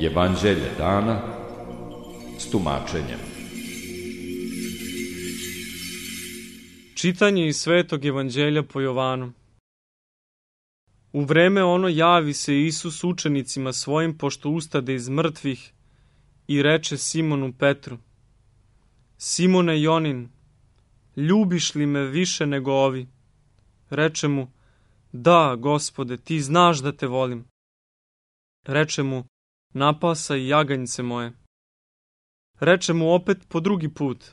Evanđelje dana s tumačenjem. Čitanje iz Svetog Evanđelja po Jovanu. U vreme ono javi se Isus učenicima svojim pošto ustade iz mrtvih i reče Simonu Petru: Simone Jonin, ljubiš li me više nego ovi? Reče mu: Da, Gospode, ti znaš da te volim. Reče mu: Napasaj jaganjce moje. Reče mu opet po drugi put: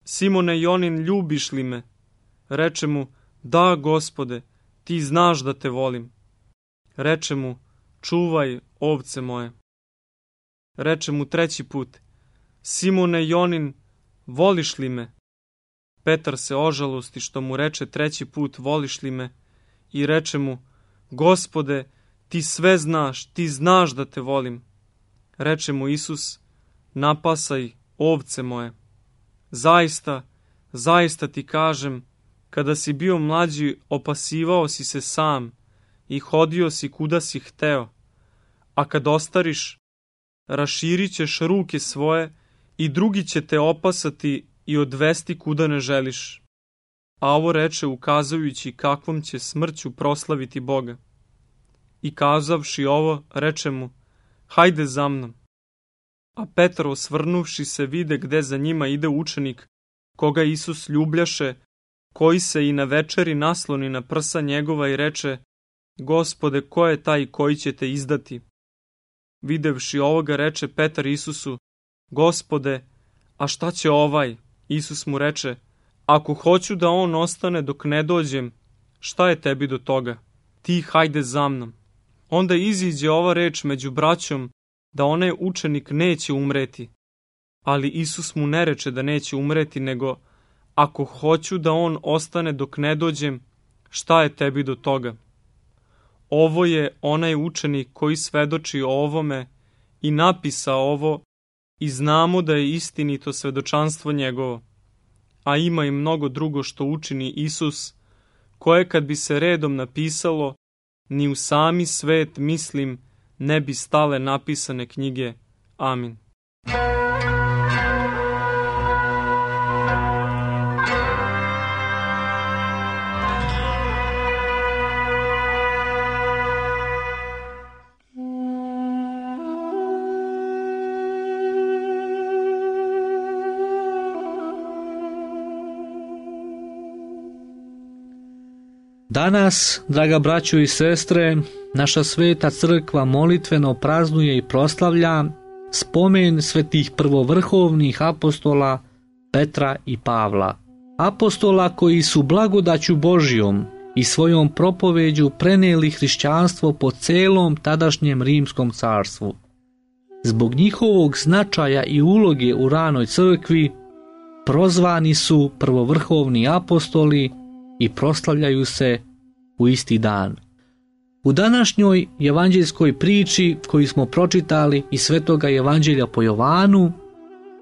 Simone Jonin, ljubiš li me? Reče mu: Da, Gospode, ti znaš da te volim. Reče mu: Čuvaj ovce moje. Reče mu treći put: Simone Jonin, voliš li me? Petar se ožalosti što mu reče treći put: Voliš li me? I reče mu: Gospode, ti sve znaš, ti znaš da te volim. Reče mu Isus: Napasaj ovce moje. Zaista, zaista ti kažem, kada si bio mlađi, opasivao si se sam i hodio si kuda si hteo, a kad ostariš, raširit ćeš ruke svoje i drugi će te opasati i odvesti kuda ne želiš. A ovo reče ukazujući kakvom će smrću proslaviti Boga. I kazavši ovo, reče mu: Hajde za mnom. A Petar, osvrnuvši se, vide gde za njima ide učenik, koga Isus ljubljaše, koji se i na večeri nasloni na prsa njegova i reče: Gospode, ko je taj koji će te izdati? Videvši ovoga, reče Petar Isusu: Gospode, a šta će ovaj? Isus mu reče: Ako hoću da on ostane dok ne dođem, šta je tebi do toga? Ti hajde za mnom. Onda iziđe ova reč među braćom, da onaj učenik neće umreti. Ali Isus mu ne reče da neće umreti, nego: Ako hoću da on ostane dok ne dođem, šta je tebi do toga? Ovo je onaj učenik koji svedoči o ovome i napisao ovo, i znamo da je istinito svedočanstvo njegovo. A ima i mnogo drugo što učini Isus, koje kad bi se redom napisalo, ni u sami svet, mislim, ne bi stale napisane knjige. Amin. Danas, draga braćo i sestre, naša sveta crkva molitveno praznuje i proslavlja spomen svetih prvovrhovnih apostola Petra i Pavla. Apostola koji su blagodaću Božjom i svojom propoveđu prenijeli hrišćanstvo po celom tadašnjem rimskom carstvu. Zbog njihovog značaja i uloge u ranoj crkvi prozvani su prvovrhovni apostoli i proslavljaju se u isti dan. U današnjoj evanđeljskoj priči koju smo pročitali iz Svetoga Evanđelja po Jovanu,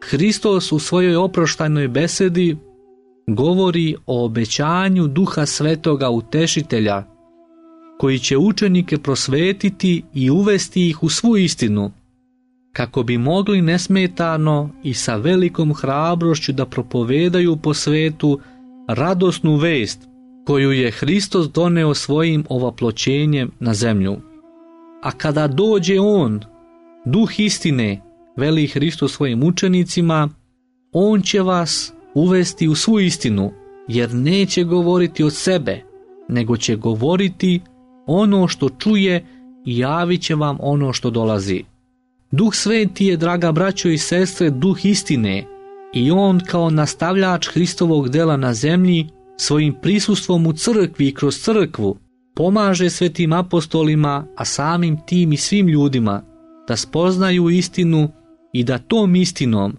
Hristos u svojoj oproštajnoj besedi govori o obećanju Duha Svetoga Utešitelja, koji će učenike prosvetiti i uvesti ih u svu istinu, kako bi mogli nesmetano i sa velikom hrabrošću da propovedaju po svetu radosnu vest koju je Hristos doneo svojim ovaploćenjem na zemlju. A kada dođe On, Duh istine, veli Hristos svojim učenicima, On će vas uvesti u svu istinu, jer neće govoriti od sebe, nego će govoriti ono što čuje i javit će vam ono što dolazi. Duh Sveti je, draga braćo i sestre, Duh istine, i On kao nastavljač Hristovog dela na zemlji svojim prisustvom u crkvi i kroz crkvu pomaže svetim apostolima, a samim tim i svim ljudima da spoznaju istinu i da tom istinom,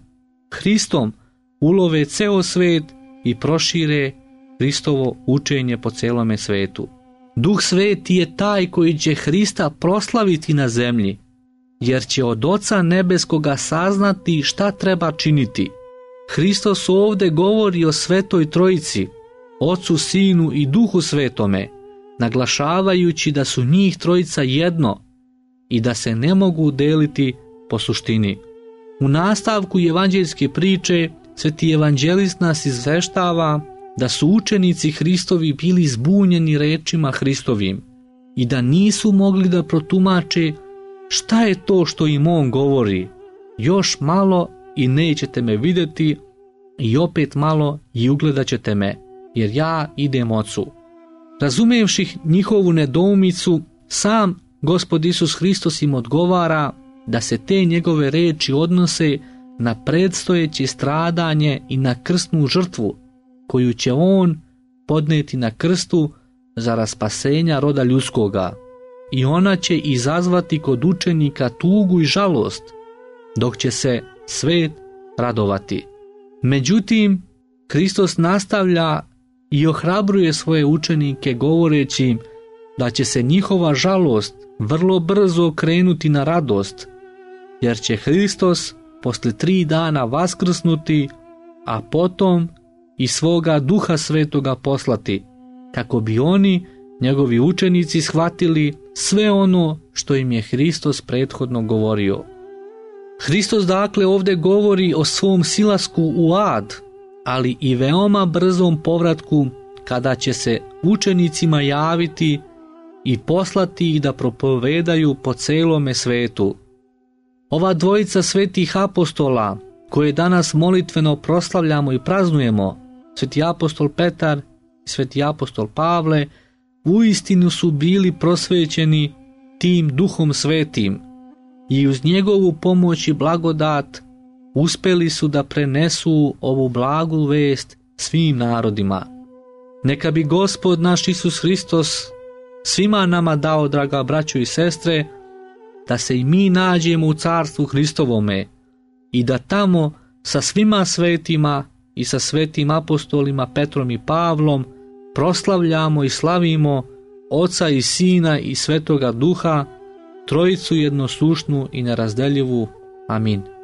Hristom, ulove ceo svet i prošire Hristovo učenje po celome svetu. Duh Sveti je taj koji će Hrista proslaviti na zemlji, jer će od Oca Nebeskoga saznati šta treba činiti. Hristos ovde govori o Svetoj Trojici, Ocu, Sinu i Duhu Svetome, naglašavajući da su njih trojica jedno i da se ne mogu deliti po suštini. U nastavku evanđeljske priče sveti evanđelist nas izveštava da su učenici Hristovi bili zbunjeni rečima Hristovim i da nisu mogli da protumače šta je to što im on govori. Još malo i nećete me vidjeti i opet malo i ugledat ćete me, jer ja idem Ocu. Razumevši njihovu nedoumicu, sam Gospod Isus Hristos im odgovara da se te njegove reči odnose na predstojeće stradanje i na krstnu žrtvu koju će on podneti na krstu za spasenja roda ljudskoga, i ona će izazvati kod učenika tugu i žalost, dok će se svet radovati. Međutim, Hristos nastavlja i ohrabruje svoje učenike govoreći da će se njihova žalost vrlo brzo krenuti na radost, jer će Hristos posle 3 dana vaskrsnuti, a potom i svoga Duha Svetoga poslati, kako bi oni, njegovi učenici, shvatili sve ono što im je Hristos prethodno govorio. Hristos dakle ovdje govori o svom silasku u ad, ali i veoma brzom povratku kada će se učenicima javiti i poslati ih da propovedaju po celome svetu. Ova dvojica svetih apostola, koje danas molitveno proslavljamo i praznujemo, sveti apostol Petar i sveti apostol Pavle, uistinu su bili prosvećeni tim Duhom Svetim i uz njegovu pomoć i blagodat uspeli su da prenesu ovu blagu vest svim narodima. Neka bi Gospod naš Isus Hristos svima nama dao, draga braćo i sestre, da se i mi nađemo u carstvu Hristovome i da tamo sa svima svetima i sa svetim apostolima Petrom i Pavlom proslavljamo i slavimo Oca i Sina i Svetoga Duha, Trojicu jednosušnu i nerazdeljivu. Amin.